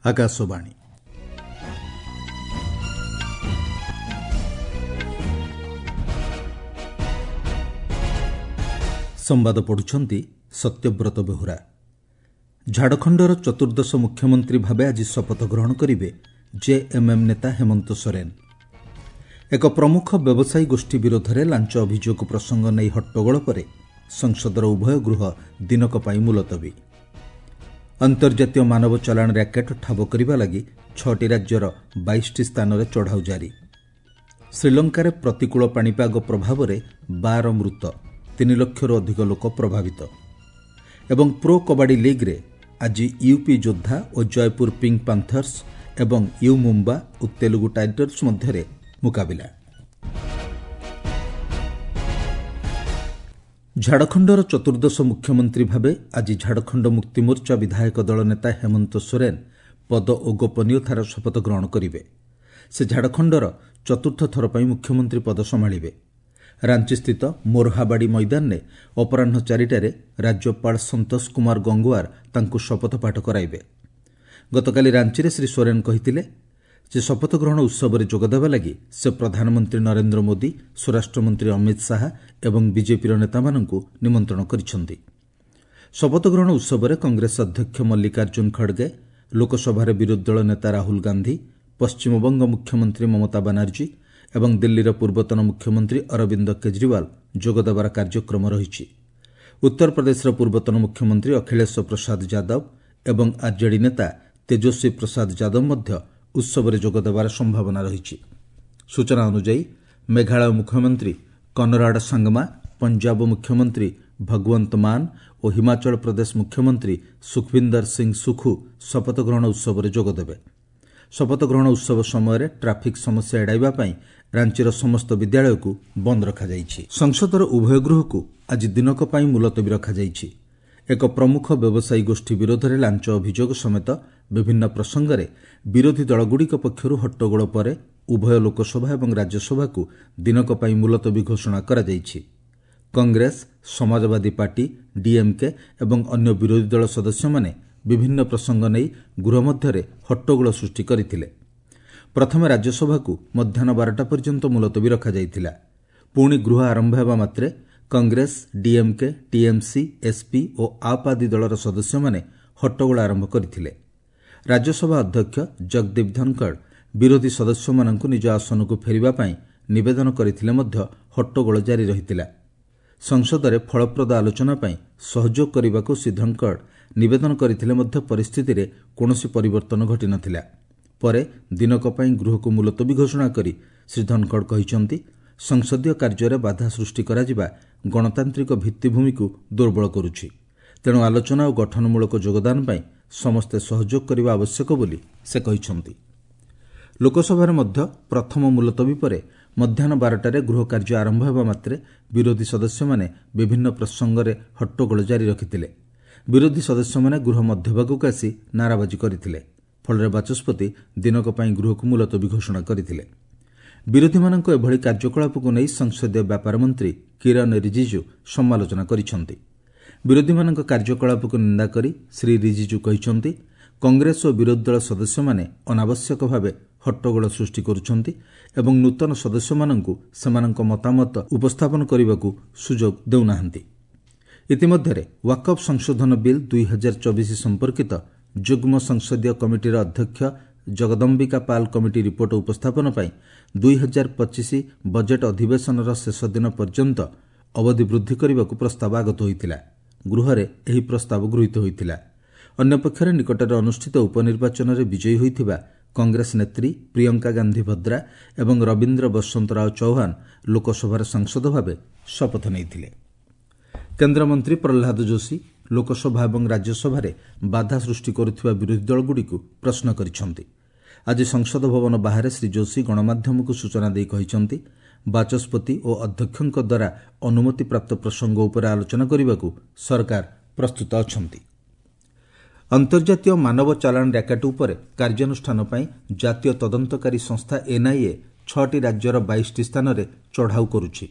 ଆକାଶବାଣୀ। ସମ୍ବାଦ ପଢ଼ୁଛନ୍ତି ସତ୍ୟବ୍ରତ ବେହୁରା। ଝାଡ଼ଖଣ୍ଡର ଚତୁର୍ଦ୍ଦଶ ମୁଖ୍ୟମନ୍ତ୍ରୀ ଭାବେ ଆଜି ଶପଥ ଗ୍ରହଣ କରିବେ ଜେଏମ୍ଏମ୍ ନେତା ହେମନ୍ତ ସୋରେନ୍। ଏକ ପ୍ରମୁଖ ବ୍ୟବସାୟୀ ଗୋଷ୍ଠୀ ବିରୋଧରେ ଲାଞ୍ଚ ଅଭିଯୋଗ ପ୍ରସଙ୍ଗ ନେଇ ହଟ୍ଟଗୋଳ ପରେ ସଂସଦର ଉଭୟ ଗୃହ ଦିନକ ପାଇଁ ମୁଲତବୀ। ଅନ୍ତର୍ଜାତୀୟ ମାନବ ଚାଲାଣ ର୍ୟାକେଟ୍ ଠାବ କରିବା ଲାଗି 6ଟି ରାଜ୍ୟର 22ଟି ସ୍ଥାନରେ ଚଢ଼ାଉ ଜାରି। ଶ୍ରୀଲଙ୍କାରେ ପ୍ରତିକୂଳ ପାଣିପାଗ ପ୍ରଭାବରେ 12 ମୃତ, 3 ଲକ୍ଷରୁ ଅଧିକ ଲୋକ ପ୍ରଭାବିତ। ଏବଂ ପ୍ରୋ କବାଡି ଲିଗ୍ରେ ଆଜି ୟୁପି ଯୋଦ୍ଧା ଓ ଜୟପୁର ପିଙ୍କ ପାନ୍ଥର୍ସ ଏବଂ you Mumba O Telugu Titans ମଧ୍ୟରେ ମୁକାବିଲା। ଝାଡ଼ଖଣ୍ଡର ଚତୁର୍ଦ୍ଦଶ ମୁଖ୍ୟମନ୍ତ୍ରୀ ଭାବେ ଆଜି ଝାଡ଼ଖଣ୍ଡ ମୁକ୍ତିମୋର୍ଚ୍ଚା ବିଧାୟକ ଦଳ ନେତା ହେମନ୍ତ ସୋରେନ୍ ପଦ ଓ ଗୋପନୀୟତାର ଶପଥ ଗ୍ରହଣ କରିବେ। ସେ ଝାଡ଼ଖଣ୍ଡର ଚତୁର୍ଥ ଥର ପାଇଁ ମୁଖ୍ୟମନ୍ତ୍ରୀ ପଦ ସମ୍ଭାଳିବେ। ରାଞ୍ଚିସ୍ଥିତ ମୋରହାବାଡ଼ି ମଇଦାନରେ ଅପରାହ୍ନ 4ଟାରେ ରାଜ୍ୟପାଳ ସନ୍ତୋଷ କୁମାର ଗଙ୍ଗୱାର ତାଙ୍କୁ ଶପଥ ପାଠ କରାଇବେ। ଗତକାଲି ରାଞ୍ଚିରେ ଶ୍ରୀ ସୋରେନ୍ କହିଥିଲେ ଯେ ଶପଥ ଗ୍ରହଣ ଉତ୍ସବରେ ଯୋଗଦେବା ଲାଗି ସେ ପ୍ରଧାନମନ୍ତ୍ରୀ ନରେନ୍ଦ୍ର ମୋଦି, ସ୍ୱରାଷ୍ଟ୍ରମନ୍ତ୍ରୀ ଅମିତ ଶାହା ଏବଂ ବିଜେପିର ନେତାମାନଙ୍କୁ ନିମନ୍ତ୍ରଣ କରିଛନ୍ତି। ଶପଥ ଗ୍ରହଣ ଉତ୍ସବରେ କଂଗ୍ରେସ ଅଧ୍ୟକ୍ଷ ମଲ୍ଲିକାର୍ଜୁନ ଖଡ଼ଗେ, ଲୋକସଭାରେ ବିରୋଧୀ ଦଳ ନେତା ରାହୁଲ ଗାନ୍ଧି, ପଶ୍ଚିମବଙ୍ଗ ମୁଖ୍ୟମନ୍ତ୍ରୀ ମମତା ବାନାର୍ଜୀ ଏବଂ ଦିଲ୍ଲୀର ପୂର୍ବତନ ମୁଖ୍ୟମନ୍ତ୍ରୀ ଅରବିନ୍ଦ କେଜରିୱାଲ ଯୋଗଦେବାର କାର୍ଯ୍ୟକ୍ରମ ରହିଛି। ଉତ୍ତରପ୍ରଦେଶର ପୂର୍ବତନ ମୁଖ୍ୟମନ୍ତ୍ରୀ ଅଖିଳେଶ ପ୍ରସାଦ ଯାଦବ ଏବଂ ଆର୍ଜେଡି ନେତା ତେଜସ୍ୱୀ ପ୍ରସାଦ ଯାଦବ ମଧ୍ୟ ଉତ୍ସବରେ ଯୋଗଦେବାର ସମ୍ଭାବନା ରହିଛି। ସୂଚନା ଅନୁଯାୟୀ ମେଘାଳୟ ମୁଖ୍ୟମନ୍ତ୍ରୀ କନରାଡ ସାଙ୍ଗମା, ପଞ୍ଜାବ ମୁଖ୍ୟମନ୍ତ୍ରୀ ଭଗୱନ୍ତ ମାନ ଓ ହିମାଚଳ ପ୍ରଦେଶ ମୁଖ୍ୟମନ୍ତ୍ରୀ ସୁଖବିନ୍ଦର ସିଂ ସୁଖୁ ଶପଥ ଗ୍ରହଣ ଉତ୍ସବରେ ଯୋଗଦେବେ। ଶପଥ ଗ୍ରହଣ ଉତ୍ସବ ସମୟରେ ଟ୍ରାଫିକ୍ ସମସ୍ୟା ଏଡ଼ାଇବା ପାଇଁ ରାଞ୍ଚିର ସମସ୍ତ ବିଦ୍ୟାଳୟକୁ ବନ୍ଦ ରଖାଯାଇଛି। ସଂସଦର ଉଭୟ ଗୃହକୁ ଆଜି ଦିନକ ପାଇଁ ମୁଲତବୀ ରଖାଯାଇଛି। ଏକ ପ୍ରମୁଖ ବ୍ୟବସାୟୀ ଗୋଷ୍ଠୀ ବିରୋଧରେ ଲାଞ୍ଚ ଅଭିଯୋଗ ସମେତ ବିଭିନ୍ନ ପ୍ରସଙ୍ଗରେ ବିରୋଧୀ ଦଳଗୁଡ଼ିକ ପକ୍ଷରୁ ହଟ୍ଟଗୋଳ ପରେ ଉଭୟ ଲୋକସଭା ଏବଂ ରାଜ୍ୟସଭାକୁ ଦିନକ ପାଇଁ ମୁଲତବୀ ଘୋଷଣା କରାଯାଇଛି। କଂଗ୍ରେସ, ସମାଜବାଦୀ ପାର୍ଟି, ଡିଏମ୍କେ ଏବଂ ଅନ୍ୟ ବିରୋଧୀ ଦଳ ସଦସ୍ୟମାନେ ବିଭିନ୍ନ ପ୍ରସଙ୍ଗ ନେଇ ଗୃହ ମଧ୍ୟରେ ହଟ୍ଟଗୋଳ ସୃଷ୍ଟି କରିଥିଲେ। ପ୍ରଥମେ ରାଜ୍ୟସଭାକୁ ମଧ୍ୟାହ୍ନ 12ଟା ପର୍ଯ୍ୟନ୍ତ ମୁଲତବୀ ରଖାଯାଇଥିଲା। ପୁଣି ଗୃହ ଆରମ୍ଭ ହେବା ମାତ୍ରେ କଂଗ୍ରେସ, ଡିଏମ୍କେ, ଟିଏମ୍ସି, ଏସ୍ପି ଓ ଆପ୍ ଆଦି ଦଳର ସଦସ୍ୟମାନେ ହଟ୍ଟଗୋଳ ଆରମ୍ଭ କରିଥିଲେ। ରାଜ୍ୟସଭା ଅଧ୍ୟକ୍ଷ ଜଗଦୀପ ଧନଖଡ଼ ବିରୋଧୀ ସଦସ୍ୟମାନଙ୍କୁ ନିଜ ଆସନକୁ ଫେରିବା ପାଇଁ ନିବେଦନ କରିଥିଲେ ମଧ୍ୟ ହଟ୍ଟଗୋଳ ଜାରି ରହିଥିଲା। ସଂସଦରେ ଫଳପ୍ରଦ ଆଲୋଚନା ପାଇଁ ସହଯୋଗ କରିବାକୁ ଶ୍ରୀ ଧନଖଡ଼ ନିବେଦନ କରିଥିଲେ ମଧ୍ୟ ପରିସ୍ଥିତିରେ କୌଣସି ପରିବର୍ତ୍ତନ ଘଟିନଥିଲା। ପରେ ଦିନକ ପାଇଁ ଗୃହକୁ ମୁଲତବୀ ଘୋଷଣା କରି ଶ୍ରୀ ଧନଖଡ଼ କହିଛନ୍ତି, ସଂସଦୀୟ କାର୍ଯ୍ୟରେ ବାଧା ସୃଷ୍ଟି କରାଯିବା ଗଣତାନ୍ତ୍ରିକ ଭିତ୍ତିଭୂମିକୁ ଦୁର୍ବଳ କରୁଛି। ତେଣୁ ଆଲୋଚନା ଓ ଗଠନମୂଳକ ଯୋଗଦାନ ପାଇଁ ସମସ୍ତେ ସହଯୋଗ କରିବା ଆବଶ୍ୟକ ବୋଲି ସେ କହିଛନ୍ତି। ଲୋକସଭାରେ ମଧ୍ୟ ପ୍ରଥମ ମୁଲତବୀ ପରେ ମଧ୍ୟାହ୍ନ 12ଟାରେ ଗୃହ କାର୍ଯ୍ୟ ଆରମ୍ଭ ହେବା ମାତ୍ରେ ବିରୋଧୀ ସଦସ୍ୟମାନେ ବିଭିନ୍ନ ପ୍ରସଙ୍ଗରେ ହଟ୍ଟଗୋଳ ଜାରି ରଖିଥିଲେ। ବିରୋଧୀ ସଦସ୍ୟମାନେ ଗୃହ ମଧ୍ୟଭାଗକୁ ଆସି ନାରାବାଜି କରିଥିଲେ। ଫଳରେ ବାଚସ୍ପତି ଦିନକ ପାଇଁ ଗୃହକୁ ମୁଲତବୀ ଘୋଷଣା କରିଥିଲେ। ବିରୋଧୀମାନଙ୍କ ଏଭଳି କାର୍ଯ୍ୟକଳାପକୁ ନେଇ ସଂସଦୀୟ ବ୍ୟାପାର ମନ୍ତ୍ରୀ କିରଣ ରିଜିଜୁ ସମାଲୋଚନା କରିଛନ୍ତି। ବିରୋଧୀମାନଙ୍କ କାର୍ଯ୍ୟକଳାପକୁ ନିନ୍ଦା କରି ଶ୍ରୀ ରିଜିଜୁ କହିଛନ୍ତି, କଂଗ୍ରେସ ଓ ବିରୋଧୀ ଦଳ ସଦସ୍ୟମାନେ ଅନାବଶ୍ୟକ ଭାବେ ହଟ୍ଟଗୋଳ ସୃଷ୍ଟି କରୁଛନ୍ତି ଏବଂ ନୂତନ ସଦସ୍ୟମାନଙ୍କୁ ସେମାନଙ୍କ ମତାମତ ଉପସ୍ଥାପନ କରିବାକୁ ସୁଯୋଗ ଦେଉନାହାନ୍ତି। ଇତିମଧ୍ୟରେ ୱାକଫ୍ ସଂଶୋଧନ ବିଲ୍ 2024 ସମ୍ପର୍କିତ ଯୁଗ୍ମ ସଂସଦୀୟ କମିଟିର ଅଧ୍ୟକ୍ଷ ଜଗଦମ୍ବିକା ପାଲ କମିଟି ରିପୋର୍ଟ ଉପସ୍ଥାପନ ପାଇଁ 2025 ବଜେଟ୍ ଅଧିବେଶନର ଶେଷ ଦିନ ପର୍ଯ୍ୟନ୍ତ ଅବଧି ବୃଦ୍ଧି କରିବାକୁ ପ୍ରସ୍ତାବ ଆଗତ ହୋଇଥିଲା। ଗୃହରେ ଏହି ପ୍ରସ୍ତାବ ଗୃହୀତ ହୋଇଥିଲା। ଅନ୍ୟପକ୍ଷରେ ନିକଟରେ ଅନୁଷ୍ଠିତ ଉପନିର୍ବାଚନରେ ବିଜୟୀ ହୋଇଥିବା କଂଗ୍ରେସ ନେତ୍ରୀ ପ୍ରିୟଙ୍କା ଗାନ୍ଧୀ ଭଦ୍ରା ଏବଂ ରବୀନ୍ଦ୍ର ବସନ୍ତ ରାଓ ଚୌହାନ ଲୋକସଭାର ସାଂସଦ ଭାବେ ଶପଥ ନେଇଥିଲେ। କେନ୍ଦ୍ରମନ୍ତ୍ରୀ ପ୍ରହ୍ଲାଦ ଯୋଶୀ ଲୋକସଭା ଏବଂ ରାଜ୍ୟସଭାରେ ବାଧା ସୃଷ୍ଟି କରୁଥିବା ବିରୋଧୀ ଦଳଗୁଡ଼ିକୁ ପ୍ରଶ୍ନ କରିଛନ୍ତି। ଆଜି ସଂସଦ ଭବନ ବାହାରେ ଶ୍ରୀ ଯୋଶୀ ଗଣମାଧ୍ୟମକୁ ସୂଚନା ଦେଇ କହିଛନ୍ତି, ବାଚସ୍ପତି ଓ ଅଧ୍ୟକ୍ଷଙ୍କ ଦ୍ୱାରା ଅନୁମତିପ୍ରାପ୍ତ ପ୍ରସଙ୍ଗ ଉପରେ ଆଲୋଚନା କରିବାକୁ ସରକାର ପ୍ରସ୍ତୁତ ଅଛନ୍ତି। ଅନ୍ତର୍ଜାତୀୟ ମାନବ ଚାଲାଣ ର୍ୟାକେଟ୍ ଉପରେ କାର୍ଯ୍ୟାନୁଷ୍ଠାନ ପାଇଁ ଜାତୀୟ ତଦନ୍ତକାରୀ ସଂସ୍ଥା ଏନ୍ଆଇଏ 6ଟି ରାଜ୍ୟର 22ଟି ସ୍ଥାନରେ ଚଢ଼ାଉ କରୁଛି।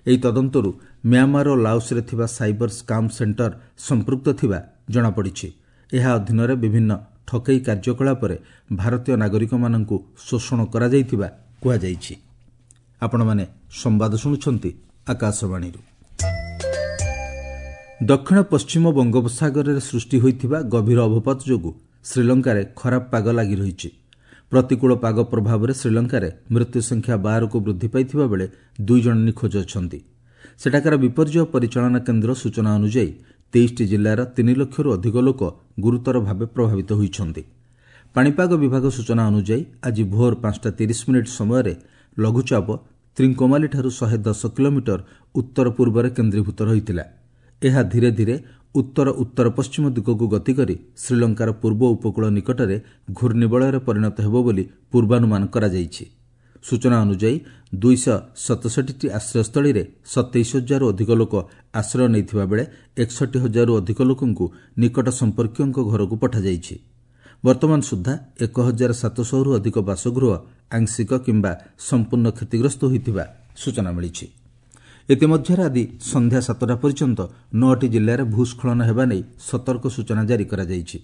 ଏହି ତଦନ୍ତରୁ ମ୍ୟାଁମାର ଓ ଲାଓସରେ ଥିବା ସାଇବର ସ୍କାମ୍ ସେଣ୍ଟର ସମ୍ପୃକ୍ତ ଥିବା ଜଣାପଡ଼ିଛି। ଏହା ଅଧୀନରେ ବିଭିନ୍ନ ଠକେଇ କାର୍ଯ୍ୟକଳାପରେ ଭାରତୀୟ ନାଗରିକମାନଙ୍କୁ ଶୋଷଣ କରାଯାଇଥିବା କୁହାଯାଇଛି। ଆପଣମାନେ ସମ୍ବାଦ ଶୁଣୁଛନ୍ତି ଆକାଶବାଣୀରୁ। ଦକ୍ଷିଣ ପଶ୍ଚିମ ବଙ୍ଗୋପସାଗରରେ ସୃଷ୍ଟି ହୋଇଥିବା ଗଭୀର ଅବପାତ ଯୋଗୁଁ ଶ୍ରୀଲଙ୍କାରେ ଖରାପ ପାଗ ଲାଗି ରହିଛି। ପ୍ରତିକୂଳ ପାଗ ପ୍ରଭାବରେ ଶ୍ରୀଲଙ୍କାରେ ମୃତ୍ୟୁ ସଂଖ୍ୟା 12କୁ ବୃଦ୍ଧି ପାଇଥିବା ବେଳେ 2 ଜଣ ନିଖୋଜ ଅଛନ୍ତି। ସେଠାକାର ବିପର୍ଯ୍ୟୟ ପରିଚାଳନା କେନ୍ଦ୍ର ସୂଚନା ଅନୁଯାୟୀ 23ଟି ଜିଲ୍ଲାର 3 ଲକ୍ଷରୁ ଅଧିକ ଲୋକ ଗୁରୁତର ଭାବେ ପ୍ରଭାବିତ ହୋଇଛନ୍ତି। ପାଣିପାଗ ବିଭାଗ ସୂଚନା ଅନୁଯାୟୀ ଆଜି ଭୋର 5:30 ସମୟରେ ଲଘୁଚାପ ତ୍ରିଙ୍କୋମାଲିଠାରୁ 110 କିଲୋମିଟର ଉତ୍ତର ପୂର୍ବରେ କେନ୍ଦ୍ରୀଭୂତ ରହିଥିଲା। ଏହା ଧୀରେ ଧୀରେ ଉତ୍ତର ଉତ୍ତର ପଶ୍ଚିମ ଦିଗକୁ ଗତି କରି ଶ୍ରୀଲଙ୍କାର ପୂର୍ବ ଉପକୂଳ ନିକଟରେ ଘୂର୍ଣ୍ଣିବଳୟରେ ପରିଣତ ହେବ ବୋଲି ପୂର୍ବାନୁମାନ କରାଯାଇଛି। ସୂଚନା ଅନୁଯାୟୀ 267ଟି ଆଶ୍ରୟସ୍ଥଳୀରେ 27 ହଜାରରୁ ଅଧିକ ଲୋକ ଆଶ୍ରୟ ନେଇଥିବା ବେଳେ 61 ହଜାରରୁ ଅଧିକ ଲୋକଙ୍କୁ ନିକଟ ସମ୍ପର୍କୀୟଙ୍କ ଘରକୁ ପଠାଯାଇଛି। ବର୍ତ୍ତମାନ ସୁଦ୍ଧା 1700ରୁ ଅଧିକ ବାସଗୃହ ଆଂଶିକ କିମ୍ବା ସମ୍ପୂର୍ଣ୍ଣ କ୍ଷତିଗ୍ରସ୍ତ ହୋଇଥିବା ସୂଚନା ମିଳିଛି। ଇତିମଧ୍ୟରେ ଆଜି ସନ୍ଧ୍ୟା 7ଟା ପର୍ଯ୍ୟନ୍ତ 9ଟି ଜିଲ୍ଲାରେ ଭୂସ୍ଖଳନ ହେବା ନେଇ ସତର୍କ ସୂଚନା ଜାରି କରାଯାଇଛି।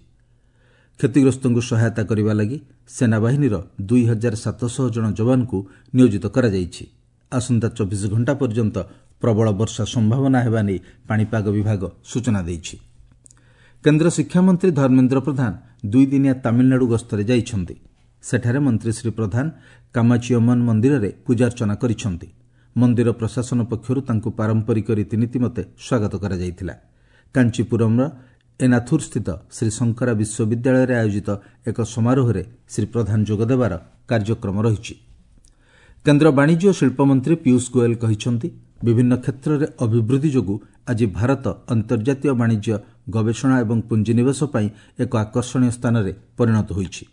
କ୍ଷତିଗ୍ରସ୍ତଙ୍କୁ ସହାୟତା କରିବା ଲାଗି ସେନାବାହିନୀର 2700 ଜଣ ଯବାନଙ୍କୁ ନିୟୋଜିତ କରାଯାଇଛି। ଆସନ୍ତା 24 ଘଣ୍ଟା ପର୍ଯ୍ୟନ୍ତ ପ୍ରବଳ ବର୍ଷା ସମ୍ଭାବନା ହେବା ନେଇ ପାଣିପାଗ ବିଭାଗ ସୂଚନା ଦେଇଛି। କେନ୍ଦ୍ର ଶିକ୍ଷାମନ୍ତ୍ରୀ ଧର୍ମେନ୍ଦ୍ର ପ୍ରଧାନ 2 ଦିନିଆ ତାମିଲନାଡୁ ଗସ୍ତରେ ଯାଇଛନ୍ତି। ସେଠାରେ ମନ୍ତ୍ରୀ ଶ୍ରୀ ପ୍ରଧାନ କାମାଚିୟମନ୍ ମନ୍ଦିରରେ ପୂଜାର୍ଚ୍ଚନା କରିଛନ୍ତି। ମନ୍ଦିର ପ୍ରଶାସନ ପକ୍ଷରୁ ତାଙ୍କୁ ପାରମ୍ପରିକ ରୀତିନୀତି ମତେ ସ୍ୱାଗତ କରାଯାଇଥିଲା। କାଞ୍ଚିପୁରମ୍ର ଏନାଥୁରସ୍ଥିତ ଶ୍ରୀ ଶଙ୍କରା ବିଶ୍ୱବିଦ୍ୟାଳୟରେ ଆୟୋଜିତ ଏକ ସମାରୋହରେ ଶ୍ରୀ ପ୍ରଧାନ ଯୋଗଦେବାର କାର୍ଯ୍ୟକ୍ରମ ରହିଛି। କେନ୍ଦ୍ର ବାଣିଜ୍ୟ ଓ ଶିଳ୍ପମନ୍ତ୍ରୀ ପୀୟୁଷ ଗୋଏଲ କହିଛନ୍ତି, ବିଭିନ୍ନ କ୍ଷେତ୍ରରେ ଅଭିବୃଦ୍ଧି ଯୋଗୁଁ ଆଜି ଭାରତ ଅନ୍ତର୍ଜାତୀୟ ବାଣିଜ୍ୟ, ଗବେଷଣା ଏବଂ ପୁଞ୍ଜିନିବେଶ ପାଇଁ ଏକ ଆକର୍ଷଣୀୟ ସ୍ଥାନରେ ପରିଣତ ହୋଇଛି।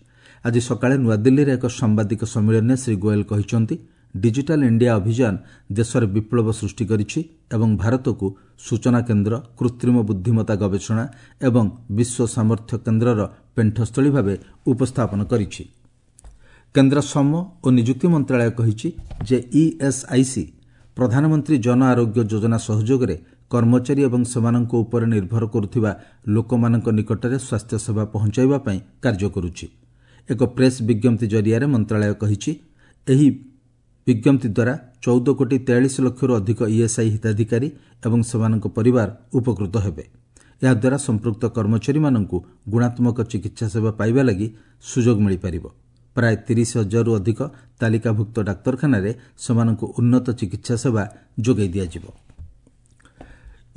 ଆଜି ସକାଳେ ନୂଆଦିଲ୍ଲୀରେ ଏକ ସାମ୍ବାଦିକ ସମ୍ମିଳନୀରେ ଶ୍ରୀ ଗୋଏଲ କହିଛନ୍ତି, ଡିଜିଟାଲ ଇଣ୍ଡିଆ ଅଭିଯାନ ଦେଶରେ ବିପ୍ଳବ ସୃଷ୍ଟି କରିଛି ଏବଂ ଭାରତକୁ ସୂଚନା କେନ୍ଦ୍ର, କୃତ୍ରିମ ବୁଦ୍ଧିମତ୍ତା ଗବେଷଣା ଏବଂ ବିଶ୍ୱ ସାମର୍ଥ୍ୟ କେନ୍ଦ୍ରର ପେଣ୍ଠସ୍ଥଳୀ ଭାବେ ଉପସ୍ଥାପନ କରିଛି। କେନ୍ଦ୍ର ଶ୍ରମ ଓ ନିଯୁକ୍ତି ମନ୍ତ୍ରଣାଳୟ କହିଛି ଯେ ଇଏସ୍ଆଇସି ପ୍ରଧାନମନ୍ତ୍ରୀ ଜନ ଆରୋଗ୍ୟ ଯୋଜନା ସହଯୋଗରେ କର୍ମଚାରୀ ଏବଂ ସେମାନଙ୍କ ଉପରେ ନିର୍ଭର କରୁଥିବା ଲୋକମାନଙ୍କ ନିକଟରେ ସ୍ୱାସ୍ଥ୍ୟସେବା ପହଞ୍ଚାଇବା ପାଇଁ କାର୍ଯ୍ୟ କରୁଛି। ଏକ ପ୍ରେସ୍ ବିଜ୍ଞପ୍ତି ଜରିଆରେ ମନ୍ତ୍ରଣାଳୟ କହିଛି, ଏହି ବିଜ୍ଞପ୍ତି ଦ୍ୱାରା 14 କୋଟି 43 ଲକ୍ଷରୁ ଅଧିକ ଇଏସ୍ଆଇ ହିତାଧିକାରୀ ଏବଂ ସେମାନଙ୍କ ପରିବାର ଉପକୃତ ହେବେ। ଏହାଦ୍ୱାରା ସମ୍ପୃକ୍ତ କର୍ମଚାରୀମାନଙ୍କୁ ଗୁଣାତ୍ମକ ଚିକିତ୍ସା ସେବା ପାଇବା ଲାଗି ସୁଯୋଗ ମିଳିପାରିବ। ପ୍ରାୟ 30 ହଜାରରୁ ଅଧିକ ତାଲିକାଭୁକ୍ତ ଡାକ୍ତରଖାନାରେ ସେମାନଙ୍କୁ ଉନ୍ନତ ଚିକିତ୍ସା ସେବା ଯୋଗାଇ ଦିଆଯିବ।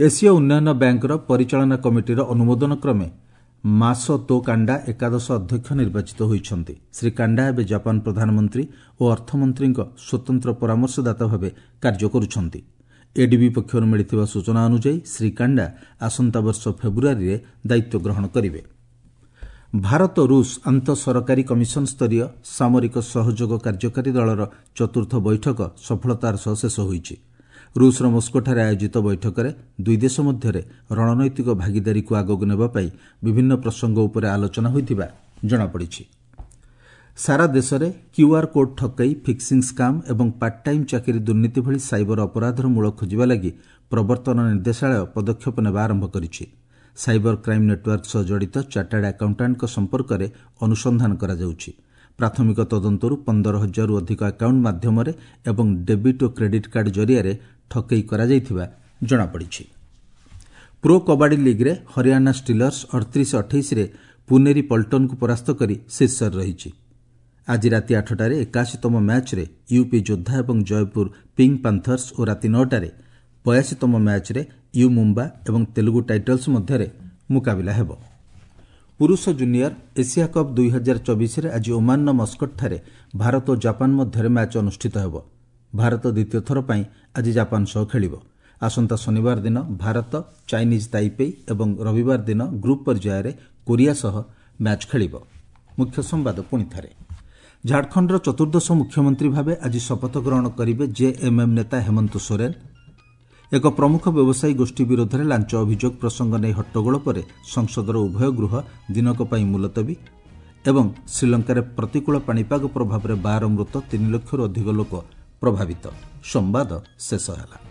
ଏସୀୟ ଉନ୍ନୟନ ବ୍ୟାଙ୍କର ପରିଚାଳନା କମିଟିର ଅନୁମୋଦନ କ୍ରମେ ମାସତୋ କାଣ୍ଡା ଏକାଦଶ ଅଧ୍ୟକ୍ଷ ନିର୍ବାଚିତ ହୋଇଛନ୍ତି। ଶ୍ରୀ କାଣ୍ଡା ଏବେ ଜାପାନ ପ୍ରଧାନମନ୍ତ୍ରୀ ଓ ଅର୍ଥମନ୍ତ୍ରୀଙ୍କ ସ୍ୱତନ୍ତ୍ର ପରାମର୍ଶଦାତା ଭାବେ କାର୍ଯ୍ୟ କରୁଛନ୍ତି। ଏଡିବି ପକ୍ଷରୁ ମିଳିଥିବା ସୂଚନା ଅନୁଯାୟୀ ଶ୍ରୀ କାଣ୍ଡା ଆସନ୍ତା ବର୍ଷ ଫେବୃଆରୀରେ ଦାୟିତ୍ୱ ଗ୍ରହଣ କରିବେ। ଭାରତ ରୁଷ ଆନ୍ତଃ ସରକାରୀ କମିଶନ ସ୍ତରୀୟ ସାମରିକ ସହଯୋଗ କାର୍ଯ୍ୟକାରୀ ଦଳର ଚତୁର୍ଥ ବୈଠକ ସଫଳତାର ସହ ଶେଷ ହୋଇଛି। ରୁଷର ମସ୍କୋଠାରେ ଆୟୋଜିତ ବୈଠକରେ ଦୁଇ ଦେଶ ମଧ୍ୟରେ ରଣନୈତିକ ଭାଗିଦାରୀକୁ ଆଗକୁ ନେବା ପାଇଁ ବିଭିନ୍ନ ପ୍ରସଙ୍ଗ ଉପରେ ଆଲୋଚନା ହୋଇଥିବା ଜଣାପଡ଼ିଛି। ସାରା ଦେଶରେ କ୍ୟୁଆର୍ କୋଡ୍ ଠକେଇ, ଫିକ୍ସିଂ ସ୍କାମ୍ ଏବଂ ପାର୍ଟ ଟାଇମ୍ ଚାକିରି ଦୁର୍ନୀତି ଭଳି ସାଇବର ଅପରାଧର ମୂଳ ଖୋଜିବା ଲାଗି ପ୍ରବର୍ତ୍ତନ ନିର୍ଦ୍ଦେଶାଳୟ ପଦକ୍ଷେପ ନେବା ଆରମ୍ଭ କରିଛି। ସାଇବର କ୍ରାଇମ୍ ନେଟୱାର୍କ ସହ ଜଡ଼ିତ ଚାର୍ଟାର୍ଡ ଆକାଉଣ୍ଟାଣ୍ଟଙ୍କ ସମ୍ପର୍କରେ ଅନୁସନ୍ଧାନ କରାଯାଉଛି। ପ୍ରାଥମିକ ତଦନ୍ତରୁ 15 ହଜାରରୁ ଅଧିକ ଆକାଉଣ୍ଟ ମାଧ୍ୟମରେ ଏବଂ ଡେବିଟ୍ ଓ କ୍ରେଡିଟ୍ କାର୍ଡ ଜରିଆରେ ଠକେଇ କରାଯାଇଥିବା ଜଣାପଡ଼ିଛି। ପ୍ରୋ କବାଡି ଲିଗ୍ରେ ହରିୟାଣା ଷ୍ଟିଲର୍ସ 38-28ରେ ପୁନେରୀ ପଲ୍ଟନକୁ ପରାସ୍ତ କରି ଶୀର୍ଷରେ ରହିଛି। ଆଜି ରାତି 8ଟାରେ 81ତମ ମ୍ୟାଚ୍ରେ ୟୁପି ଯୋଦ୍ଧା ଏବଂ ଜୟପୁର ପିଙ୍କ୍ ପାନ୍ଥର୍ସ ଓ ରାତି 9ଟାରେ 82ତମ ମ୍ୟାଚ୍ରେ you Mumba ଏବଂ ତେଲୁଗୁ ଟାଇଟଲ୍ସ ମଧ୍ୟରେ ମୁକାବିଲା ହେବ। ପୁରୁଷ ଜୁନିୟର ଏସିଆ କପ୍ 2024ରେ ଆଜି ଓମାନର ମସ୍କଟଠାରେ ଭାରତ ଓ ଜାପାନ ମଧ୍ୟରେ ମ୍ୟାଚ୍ ଅନୁଷ୍ଠିତ ହେବ। ଭାରତ ଦ୍ୱିତୀୟ ଥର ପାଇଁ ଆଜି ଜାପାନ ସହ ଖେଳିବ। ଆସନ୍ତା ଶନିବାର ଦିନ ଭାରତ ଚାଇନିଜ୍ ତାଇପେଇ ଏବଂ ରବିବାର ଦିନ ଗ୍ରୁପ୍ ପର୍ଯ୍ୟାୟରେ କୋରିଆ ସହ ମ୍ୟାଚ୍ ଖେଳିବ। ମୁଖ୍ୟ ସମ୍ବାଦ ପୁଣିଥରେ। ଝାଡ଼ଖଣ୍ଡର ଚତୁର୍ଦ୍ଦଶ ମୁଖ୍ୟମନ୍ତ୍ରୀ ଭାବେ ଆଜି ଶପଥ ଗ୍ରହଣ କରିବେ ଜେଏମ୍ଏମ୍ ନେତା ହେମନ୍ତ ସୋରେନ୍। ଏକ ପ୍ରମୁଖ ବ୍ୟବସାୟୀ ଗୋଷ୍ଠୀ ବିରୋଧରେ ଲାଞ୍ଚ ଅଭିଯୋଗ ପ୍ରସଙ୍ଗ ନେଇ ହଟ୍ଟଗୋଳ ପରେ ସଂସଦର ଉଭୟ ଗୃହ ଦିନକ ପାଇଁ ମୁଲତବୀ। ଏବଂ ଶ୍ରୀଲଙ୍କାରେ ପ୍ରତିକୂଳ ପାଣିପାଗ ପ୍ରଭାବରେ 12 ମୃତ, 3 ଲକ୍ଷରୁ ଅଧିକ ଲୋକ ପ୍ରଭାବିତ। ସମ୍ବାଦ ଶେଷ ହେଲା।